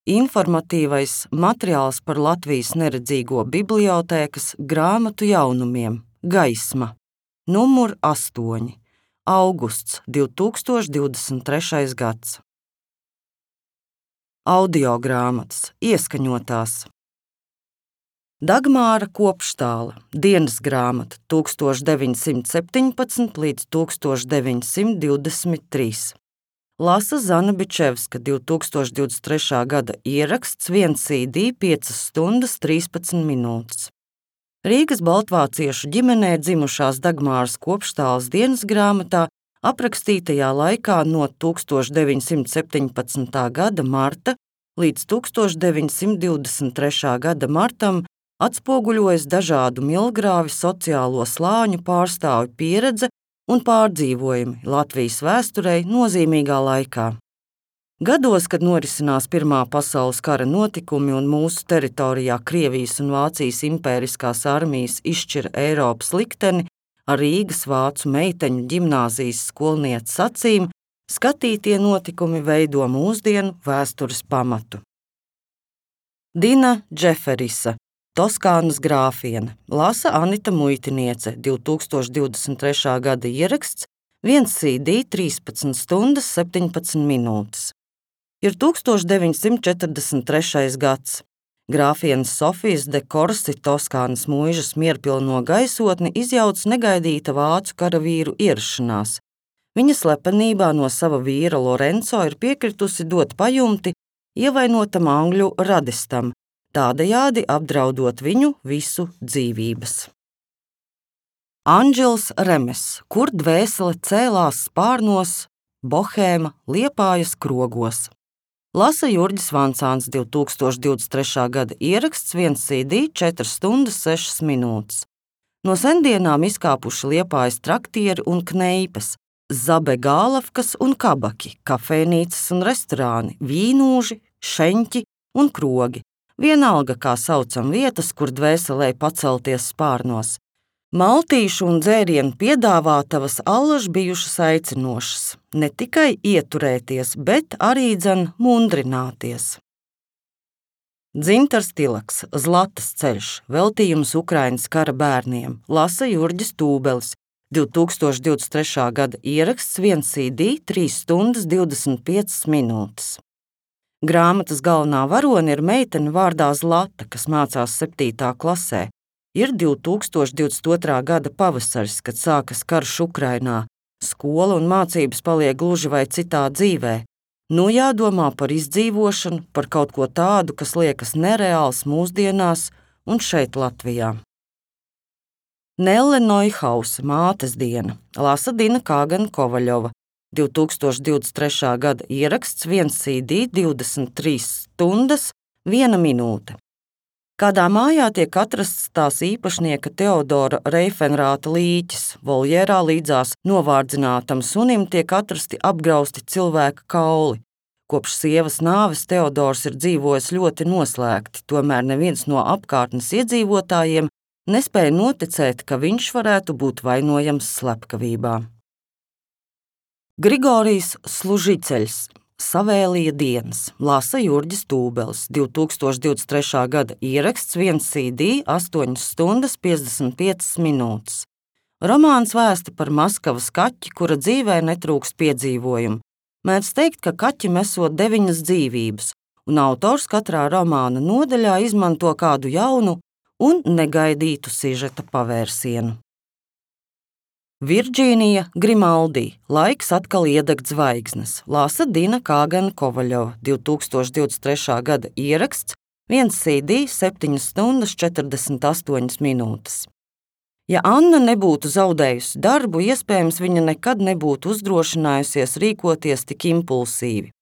informatīvais materiāls par Latvijas neredzīgo bibliotēkas grāmatu jaunumiem Gaisma, numur 8, augusts 2023. gads. Audiogrāmatas ieskaņotās. Dagmāra Kopštāla, dienas grāmata 1917 līdz 1923. Lasa Zana Bičevska, 2023. gada ieraksts, 1 CD, 5 stundas, 13 minūtes. Rīgas baltvāciešu ģimenē dzimušās Dagmāras Kopštālas dienas grāmatā aprakstītajā laikā no 1917. gada marta līdz 1923. gada martam atspoguļojas dažādu milgrāvi sociālo slāņu pārstāvju pieredze un pārdzīvojumi Latvijas vēsturei nozīmīgā laikā. Gados, kad norisinās Pirmā pasaules kara notikumi un mūsu teritorijā Krievijas un Vācijas impēriskās armijas izšķira Eiropas likteni, ar Rīgas vācu meiteņu ģimnāzijas skolnieces acīm, skatītie notikumi veido mūsdienu vēstures pamatu. Dina Džeferisa, Toskānas grāfiene, lasa Anita Muitiniece, 2023. gada ieraksts, 1 CD, 13 stundas, 17 minūtes. Ir 1943. gads. Grāfienes Sofijas de Korsi Toskānas mūžas mierpilno gaisotni izjauc negaidīta vācu karavīru ierašanās. Viņa slepenībā no sava vīra Lorenzo ir piekritusi dot pajumti ievainotam angļu radistam, tādējādi apdraudot viņu visu dzīvības. Anģels Remes, kur dvēsele cēlās spārnos, Bohēma, Liepājas krogos. Lasa Jurģis Vancāns, 2023. gada ieraksts, 1 CD, 4 stundas, 6 minūtes. No sendienām izkāpuši Liepājas traktieri un kneipes, zabegālavkas un kabaki, kafejnīcas un restorāni, vīnūži, šeņķi un krogi. Vienalga, kā saucam vietas, kur dvēselē pacelties spārnos. Maltīšu un dzērienu piedāvātavas allaž bijušas aicinošas, ne tikai ieturēties, bet arī mundrināties. Dzintars Tilaks, Zlatas ceļš, veltījums Ukrainas kara bērniem, lasa Jurģis Tūbelis, 2023. gada ieraksts, 1 CD, 3 stundas, 25 minūtes. Grāmatas galvenā varone ir meitene vārdā Zlata, kas mācās 7. klasē. Ir 2022. gada pavasaris, kad sākas karš Ukrainā. Skola un mācības paliek gluži vai citā dzīvē. Nu jādomā par izdzīvošanu, par kaut ko tādu, kas liekas nereāls mūsdienās un šeit Latvijā. Nelle Neuhausa, mātes diena, lasa Dina Kāgana Kovaļova, 2023. gada ieraksts, 1 CD, 23 stundas, 1 minūte. Kādā mājā tiek atrasts tās īpašnieka Teodora Reifenrāta līķis, voljērā līdzās novārdzinātam sunim tiek atrasti apgrausti cilvēka kauli. Kopš sievas nāves Teodors ir dzīvojis ļoti noslēgti, tomēr neviens no apkārtnes iedzīvotājiem nespēja noticēt, ka viņš varētu būt vainojams slepkavībā. Grigorijs Služiceļs, Savēlija dienas, lasa Jurģis Tūbelis, 2023. gada ieraksts, 1 CD, 8 stundas, 55 minūtes. Romāns vēsta par Maskavas kaķi, kura dzīvē netrūkst piedzīvojumu. Mēdz teikt, ka kaķim esot 9 dzīvības, un autors katrā romāna nodaļā izmanto kādu jaunu un negaidītu sižeta pavērsienu. Virģīnija Grimaldi, laiks atkal iedegt zvaigznes, lasa Dina Kāgana Kovaļova, 2023. gada ieraksts, 1 CD, 7 stundas, 48 minūtes. Ja Anna nebūtu zaudējusi darbu, iespējams viņa nekad nebūtu uzdrošinājusies rīkoties tik impulsīvi.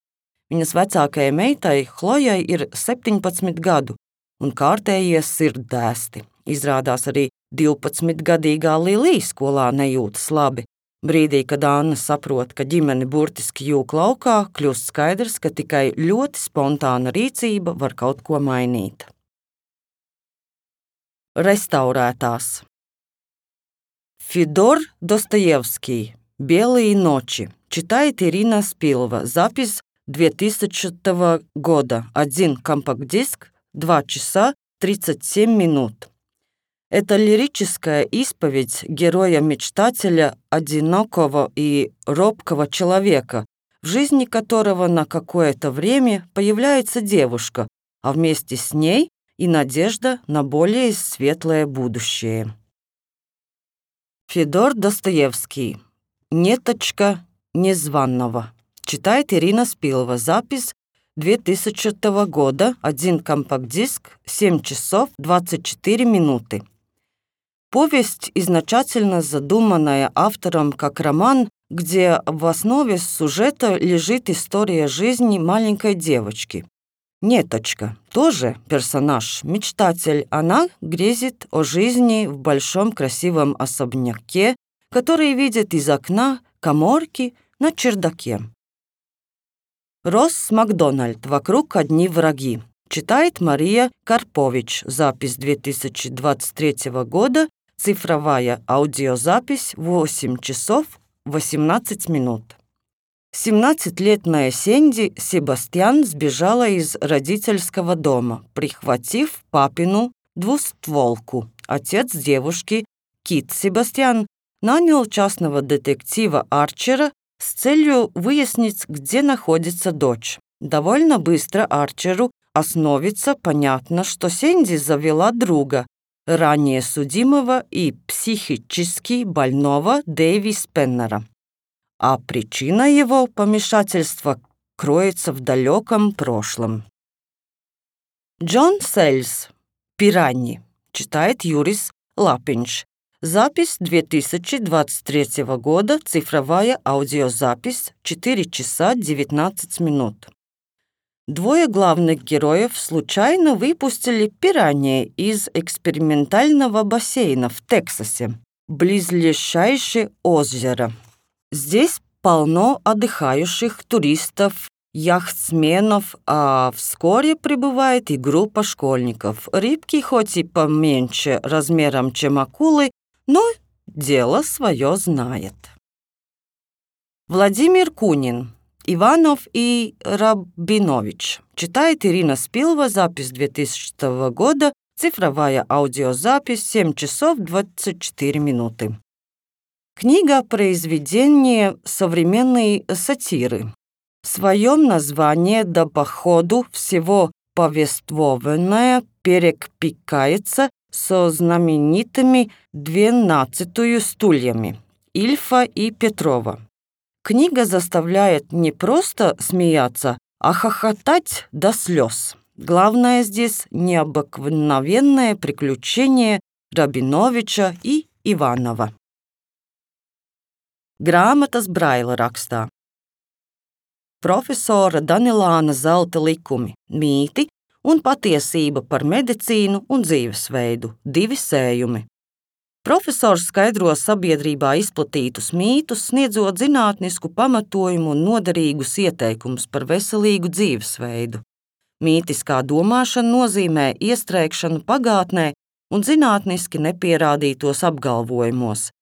Viņas vecākajai meitai Hlojai ir 17 gadu, un kārtējie sirddēsti. Izrādās arī 12-gadīgā Lilija skolā nejūtas labi. Brīdī, kad Anna saprot, ka ģimene burtiski jūk laukā, kļūst skaidrs, ka tikai ļoti spontāna rīcība var kaut ko mainīt. Restaurētās. Федор Достоевский. Белые ночи. Читает Ирина Спилова. Запись 2000 года. Один компакт-диск, 2 часа 37 минут. Это лирическая исповедь героя-мечтателя, одинокого и робкого человека, в жизни которого на какое-то время появляется девушка, а вместе с ней и надежда на более светлое будущее. Федор Достоевский. «Неточка незваного». Читает Ирина Спилова. Запись 2000 года. Один компакт-диск, 7 часов 24 минуты. Повесть изначально задуманная автором как роман, где в основе сюжета лежит история жизни маленькой девочки. Неточка тоже персонаж, мечтатель. Она грезит о жизни в большом красивом особняке, который видит из окна каморки на чердаке. Росс Макдональд. «Вокруг одни враги». Читает Мария Карпович. Запись 2023 года. Цифровая аудиозапись 8 часов 18 минут. 17-летняя Сэнди Себастьян сбежала из родительского дома, прихватив папину двустволку. Отец девушки, Кит Себастьян, нанял частного детектива Арчера с целью выяснить, где находится дочь. Довольно быстро Арчеру становится понятно, что Сэнди завела друга, ранее судимого и психически больного Дэви Спеннера. А причина его помешательства кроется в далеком прошлом. Джон Сельс. «Пираньи». Читает Юрис Лапинч. Запись 2023 года. Цифровая аудиозапись 4 часа 19 минут. Двое главных героев случайно выпустили пираньи из экспериментального бассейна в Тексасе, близлежащее озеро. Здесь полно отдыхающих туристов, яхтсменов, а вскоре прибывает и группа школьников. Рыбки хоть и поменьше размером, чем акулы, но дело свое знает. Владимир Кунин. «Иванов и Рабинович». Читает Ирина Спилова. Запись 2000 года. Цифровая аудиозапись 7 часов 24 минуты. Книга – произведение современной сатиры. В своем названии до походу всего повествованное перекликается со знаменитыми 12 стульями Ильфа и Петрова. Книга заставляет не просто смеяться, а хохотать до слез. Главное здесь необыкновенное приключение Рабиновича и Иванова. Grāmatas Braila rakstā. Profesora Danilāna Zelta likumi, mīti un patiesība par medicīnu un dzīvesveidu, 2 sējumi. Profesors skaidro sabiedrībā izplatītus mītus, sniedzot zinātnisku pamatojumu un noderīgus ieteikumus par veselīgu dzīvesveidu. Mītiskā domāšana nozīmē iestrēgšanu pagātnē un zinātniski nepierādītos apgalvojumos.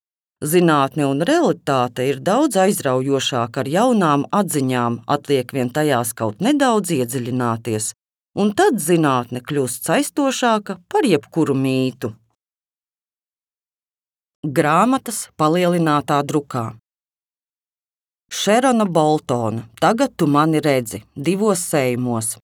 Zinātne un realitāte ir daudz aizraujošāka ar jaunām atziņām, atliek vien tajās kaut nedaudz iedziļināties, un tad zinātne kļūst saistošāka par jebkuru mītu. Grāmatas palielinātā drukā. Šerona Boltona. Tagad tu mani redzi 2 sējumos.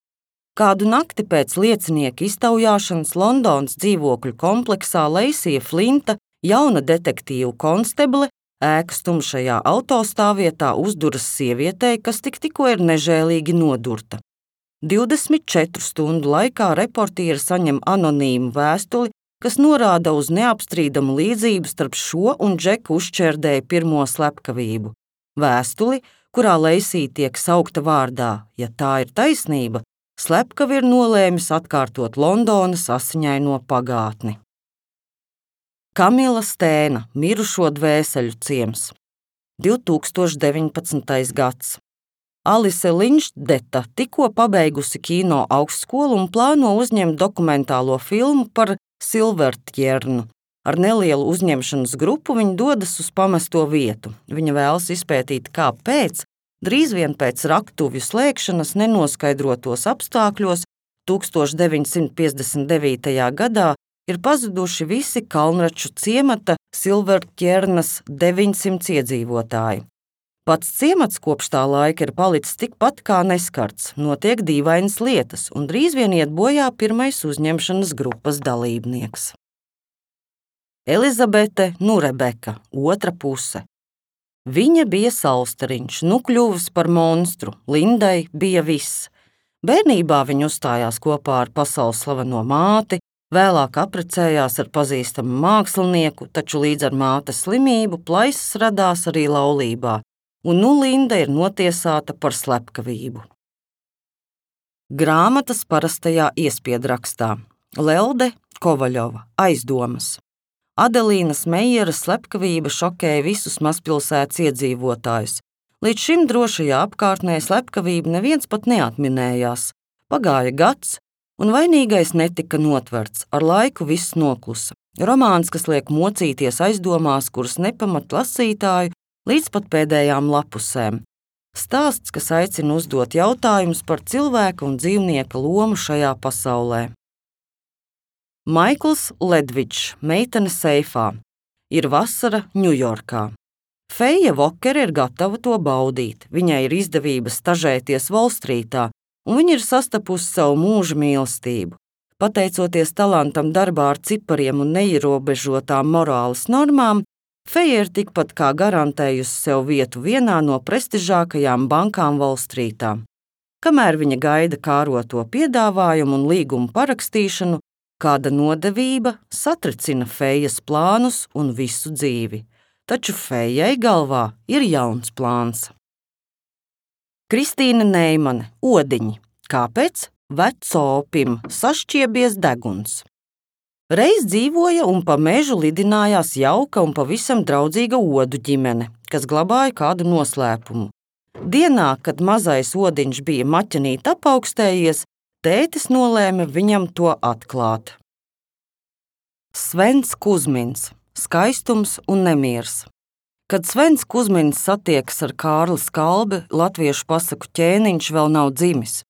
Kādu nakti pēc liecinieka iztaujāšanas Londonas dzīvokļu kompleksā Leisija Flinta, jauna detektīvu konsteble, ēkas tumšajā autostāvvietā uzduras sievietei, kas tikko ir nežēlīgi nodurta. 24 stundu laikā reportieri saņem anonīmu vēstuli, kas norāda uz neapstrīdamu līdzību starp šo un Džeku uzšķērdēju pirmo slepkavību. Vēstuli, kurā Leisija tiek saukta vārdā, ja tā ir taisnība, slepkavi ir nolēmis atkārtot Londonas asiņaino pagātni. Kamila Stēna, Mirušo dvēseļu ciems. 2019. gads. Alise Linšdeta tikko pabeigusi kino augstskolu un plāno uzņemt dokumentālo filmu par Silvertjernu. Ar nelielu uzņemšanas grupu viņa dodas uz pamesto vietu. Viņa vēlas izpētīt, kāpēc Drīz vien pēc raktuvju slēgšanas nenoskaidrotos apstākļos 1959. gadā ir pazuduši visi Kalnraču ciemata Silverķernas 900 iedzīvotāji. Pats ciemats kopš tā laika ir palicis tikpat kā neskarts, notiek dīvainas lietas, un drīz vien iet bojā pirmais uzņemšanas grupas dalībnieks. Elizabete Nurebeka, otra puse. Viņa bija salstariņš, nu kļuvis par monstru, Lindai bija viss. Bērnībā viņa uzstājās kopā ar pasaules slaveno māti, vēlāk apprecējās ar pazīstamu mākslinieku, taču līdz ar mātes slimību plaisas radās arī laulībā, un nu Linda ir notiesāta par slepkavību. Grāmatas parastajā iespiedrakstā. Lelde Kovaļova, Aizdomas. Adelīnas Meijera slepkavība šokēja visus mazpilsētas iedzīvotājus. Līdz šim drošajā apkārtnē slepkavību neviens pat neatminējās. Pagāja gads, un vainīgais netika notverts, ar laiku viss noklusa. Romāns, kas liek mocīties aizdomās, kuras nepamat lasītāju līdz pat pēdējām lapusēm. Stāsts, kas aicina uzdot jautājumus par cilvēka un dzīvnieka lomu šajā pasaulē. Maikls Ledvičs, Meitene seifā. Ir vasara Ņujorkā. Feija Vokere ir gatava to baudīt. Viņai ir izdevība stažēties Volstrītā, un viņa ir sastapusi savu mūža mīlestību. Pateicoties talantam darbā ar cipariem un neierobežotām morāles normām, Feija ir tikpat kā garantējusi sev vietu vienā no prestižākajām bankām Volstrītā. Kamēr viņa gaida kāroto piedāvājumu un līgumu parakstīšanu, kāda nodevība satricina Feijas plānus un visu dzīvi. Taču Feijai galvā ir jauns plāns. Kristīna Neimane, Odiņi. Kāpēc vecopim sašķiebies deguns? Reiz dzīvoja un pa mežu lidinājās jauka un pavisam draudzīga odu ģimene, kas glabāja kādu noslēpumu. Dienā, kad mazais odiņš bija maķenīt apaugstējies, tētis nolēma viņam to atklāt. Svens Kuzmins, Skaistums un nemiers. Kad Svens Kuzmins satiekas ar Kārli Skalbi, latviešu pasaku ķēniņš vēl nav dzimis.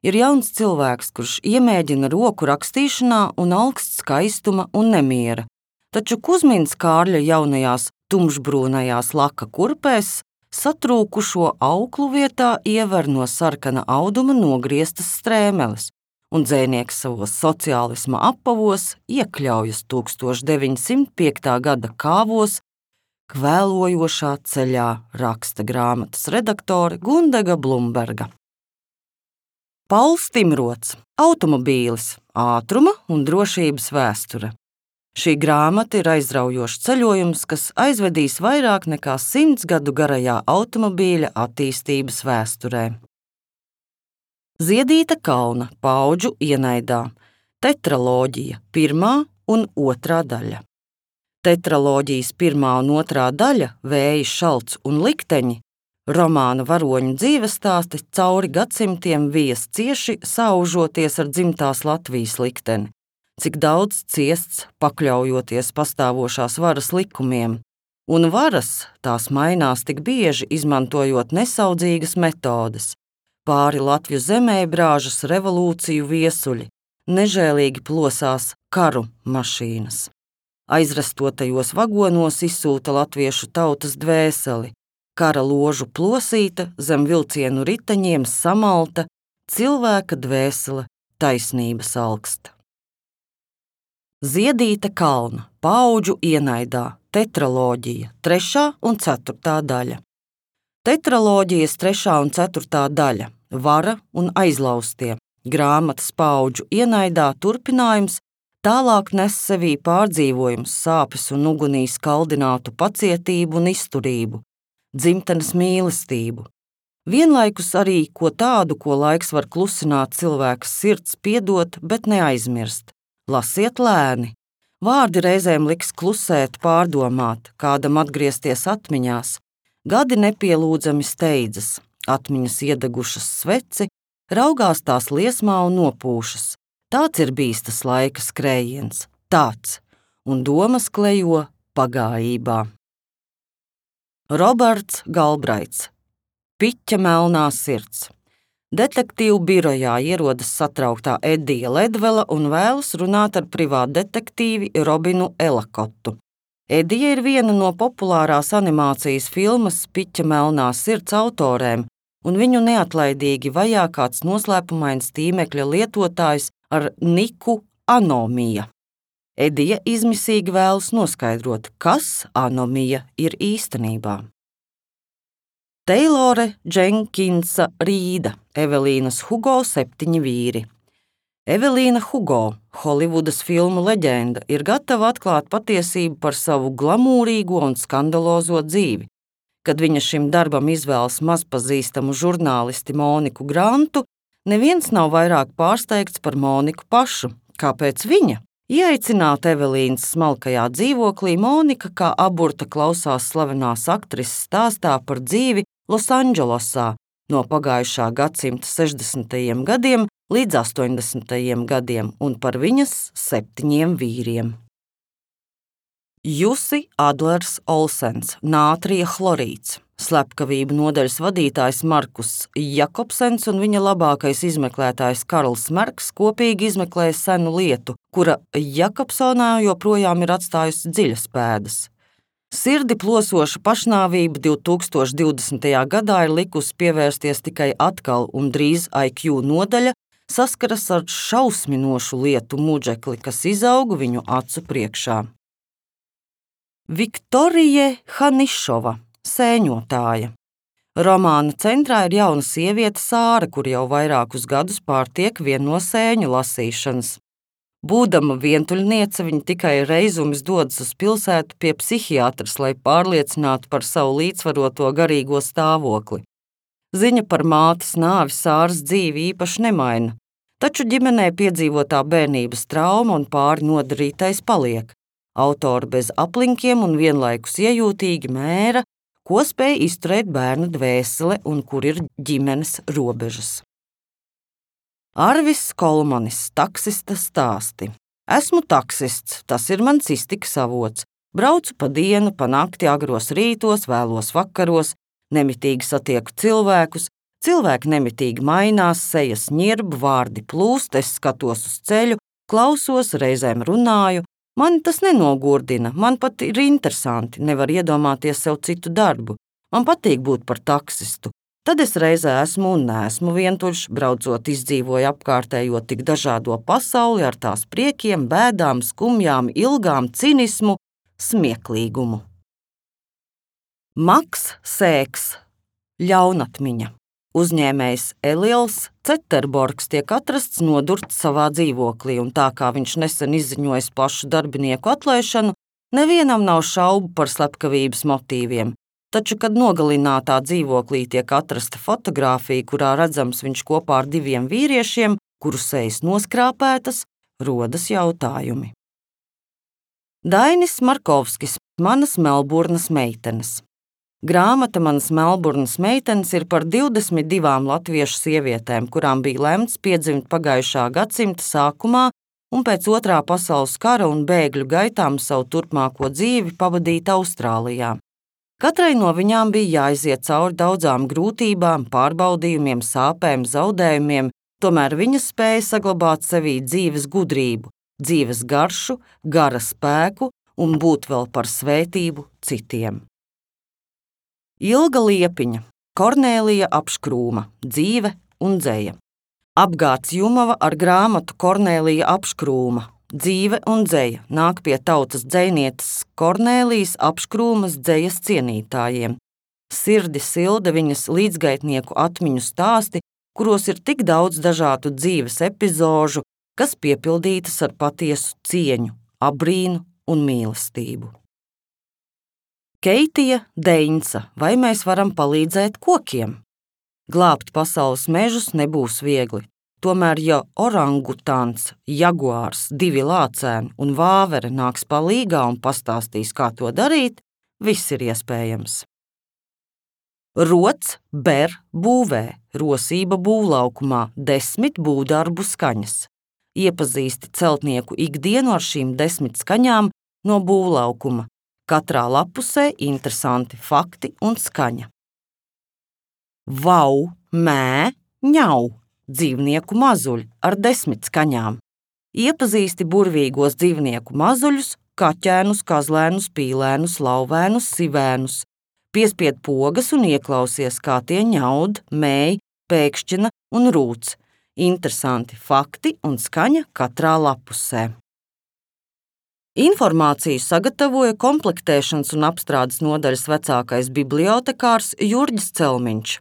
Ir jauns cilvēks, kurš iemēģina roku rakstīšanā un augsts skaistuma un nemiera. Taču Kuzmins Kārļa jaunajās tumšbrūnajās laka kurpēs satrūkušo auklu vietā iever no sarkana auduma nogrieztas strēmeles, un dzejnieks savos sociālisma apavos iekļaujas 1905. gada kāvos kvēlojošā ceļā, raksta grāmatas redaktore Gundega Blumberga. Pauls Timrots, Automobīlis, ātruma un drošības vēsture. Šī grāmata ir aizraujošs ceļojums, kas aizvedīs vairāk nekā 100 gadu garajā automobīļa attīstības vēsturē. Ziedīta Kalna, Paudžu ienaidā. Tetraloģija, 1. un 2. daļa. Tetraloģijas 1. un 2. daļa, Vēji, šalts un likteņi, romāna varoņu dzīvestāsti cauri gadsimtiem vies cieši saužoties ar dzimtās Latvijas likteni, cik daudz ciests pakļaujoties pastāvošās varas likumiem, un varas tās mainās tik bieži izmantojot nesaudzīgas metodes. Pāri Latviju zemē brāžas revolūciju viesuļi, nežēlīgi plosās karu mašīnas. Aizrastotajos vagonos izsūta latviešu tautas dvēseli, kara ložu plosīta, zem vilcienu riteņiem samalta, cilvēka dvēsele, taisnības alksta. Ziedīta Kalna, Paudžu ienaidā, tetraloģija, 3. un 4. daļa. Tetraloģijas 3. un 4. daļa, Vara un aizlaustie, grāmatas Paudžu ienaidā turpinājums, tālāk nes sevī pārdzīvojums, sāpes un ugunī skaldinātu pacietību un izturību, dzimtenes mīlestību. Vienlaikus arī ko tādu, ko laiks var klusināt cilvēka sirds piedot, bet neaizmirst. Lasiet lēni. Vārdi reizēm liks klusēt, pārdomāt, kādam atgriezties atmiņās. Gadi nepielūdzami steidzas, atmiņas iedegušas sveci, raugās tās liesmā un nopūšas. Tāds ir bijis tas laika skrējiens, tāds, un domas klejo pagājībā. Roberts Galbraits, Piķa melnā sirds. Detektīvu birojā ierodas satrauktā Edija Ledvela un vēlas runāt ar privātdetektīvi Robinu Elakotu. Edija ir viena no populārās animācijas filmas Piķa melnā sirds autorēm, un viņu neatlaidīgi vajā kāds noslēpumains tīmekļa lietotājs ar niku Anomija. Edija izmisīgi vēlas noskaidrot, kas Anomija ir īstenībā. Teilore Dženkinsa Rīda, Evelīnas Hugo 7 vīri. Evelīna Hugo, Holivudas filmu leģenda, ir gatava atklāt patiesību par savu glamūrīgo un skandalozo dzīvi. Kad viņa šim darbam izvēlas mazpazīstamu žurnālisti Moniku Grantu, neviens nav vairāk pārsteigts par Moniku pašu. Kāpēc viņa? Ieaicināta Evelīnas smalkajā dzīvoklī, Monika kā aburta klausās slavenās aktrises stāstā par dzīvi Losandželosā no pagājušā gadsimta 60. gadiem līdz 80. gadiem un par viņas 7 vīriem. Jussi Adlers Olsens, nātrija chlorīds, slepkavību nodaļas vadītājs Markus Jakobsens un viņa labākais izmeklētājs Karls Merks kopīgi izmeklēja senu lietu, kura Jakobsonā joprojām ir atstājusi dziļas pēdas. Sirdi plosoša pašnāvība 2020. gadā ir likusi pievērsties tikai atkal, un drīz IQ nodaļa saskaras ar šausminošu lietu muģekli, kas izauga viņu acu priekšā. Viktorija Hanišova, sēņotāja. Romāna centrā ir jauna sieviete Sāra, kur jau vairākus gadus pārtiek vienu no sēņu lasīšanas. Būdama vientuļniece, viņa tikai reizumis dodas uz pilsētu pie psihiatras, lai pārliecinātu par savu līdzsvaroto garīgo stāvokli. Ziņa par mātes nāvi Sāras dzīvi īpaši nemaina, taču ģimenē piedzīvotā bērnības trauma un pāri nodarītais paliek. Autori bez aplinkiem un vienlaikus iejūtīgi mēra, ko spēj izturēt bērna dvēsele un kur ir ģimenes robežas. Arvis Kolmanis, taksista stāsti. Esmu taksists, tas ir mans iztikas avots. Braucu pa dienu, pa nakti, agros rītos, vēlos vakaros, nemitīgi satieku cilvēkus, cilvēki nemitīgi mainās, sejas ņirb, vārdi plūst, es skatos uz ceļu, klausos, reizēm runāju. Mani tas nenogurdina, man pat ir interesanti, nevar iedomāties sev citu darbu. Man patīk būt par taksistu. Tad es reizē esmu un neesmu vientuļš, braucot izdzīvoju apkārtējo tik dažādo pasauli ar tās priekiem, bēdām, skumjām, ilgām, cinismu, smieklīgumu. Maks Sēks, ļaunatmiņa. Uzņēmējs Eliels Ceterborgs tiek atrasts nodurts savā dzīvoklī, un tā kā viņš nesen izziņojis plašu darbinieku atlaišanu, nevienam nav šaubu par slepkavības motīviem. Taču, kad nogalinātā dzīvoklī tiek atrasta fotogrāfija, kurā redzams viņš kopā ar 2 vīriešiem, kuru sejas noskrāpētas, rodas jautājumi. Dainis Markovskis, Manas Melburnas meitenes. Grāmata Manas Melburnas meitenes ir par 22 latviešu sievietēm, kurām bija lemts piedzimt pagājušā gadsimta sākumā un pēc Otrā pasaules kara un bēgļu gaitām savu turpmāko dzīvi pavadīt Austrālijā. Katrai no viņām bija jāiziet cauri daudzām grūtībām, pārbaudījumiem, sāpēm, zaudējumiem, tomēr viņas spēja saglabāt sevī dzīves gudrību, dzīves garšu, gara spēku un būt vēl par svētību citiem. Ilga Liepiņa, Kornēlija Apškrūma, dzīve un dzeja. Apgāds Jumava ar grāmatu Kornēlija Apškrūma, dzīve un dzeja nāk pie tautas dzejnietes Kornēlijas Apškrūmas dzejas cienītājiem. Sirdi silda viņas līdzgaitnieku atmiņu stāsti, kuros ir tik daudz dažādu dzīves epizožu, kas piepildītas ar patiesu cieņu, abrīnu un mīlestību. Keitija Deinca, vai mēs varam palīdzēt kokiem? Glābt pasaules mežus nebūs viegli. Tomēr, ja orangutāns, jaguārs, 2 lācēni un vāvere nāks palīgā un pastāstīs, kā to darīt, viss ir iespējams. Rots ber būvē, rosība būvlaukumā, 10 būvdarbu skaņas. Iepazīsti celtnieku ikdienu ar šīm 10 skaņām no būvlaukuma. Katrā lapusē interesanti fakti un skaņa. vau, mē, ņau dzīvnieku mazuļi ar 10 skaņām. Iepazīsti burvīgos dzīvnieku mazuļus, kaķēnus, kazlēnus, pīlēnus, lauvēnus, sivēnus. Piespied pogas un ieklausies, kā tie ņaud, mēj, pēkšķina un rūc. Interesanti fakti un skaņa katrā lapusē. Informāciju sagatavoja komplektēšanas un apstrādes nodaļas vecākais bibliotekārs Jurģis Celmiņš.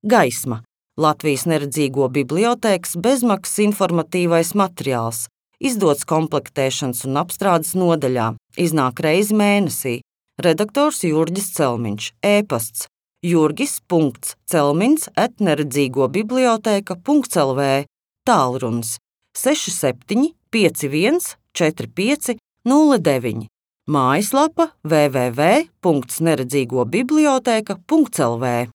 Gaisma – Latvijas neredzīgo bibliotēkas bezmaksas informatīvais materiāls, izdots komplektēšanas un apstrādes nodaļā, iznāk reizi mēnesī. Redaktors Jurģis Celmiņš, e-pasts jurgis.celmiņs@neredzīgobiblioteka.lv, tālrunis 67 51 45 09, mājaslapa www.neredzīgobiblioteka.lv.